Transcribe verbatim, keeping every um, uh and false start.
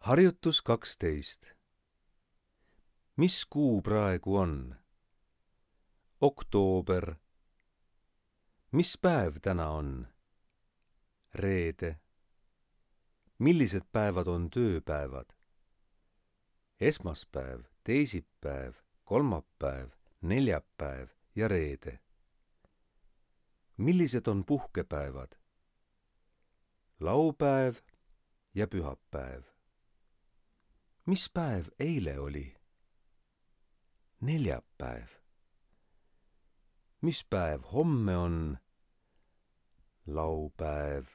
Harjutus kaksteist. Mis kuu praegu on? Oktoober. Mis päev täna on? Reede. Millised päevad on tööpäevad? Esmaspäev, teisipäev, kolmapäev, neljapäev ja reede. Millised on puhkepäevad? Laupäev ja pühapäev. Mis päev eile oli? Neljapäev. Mis päev homme on? Laupäev.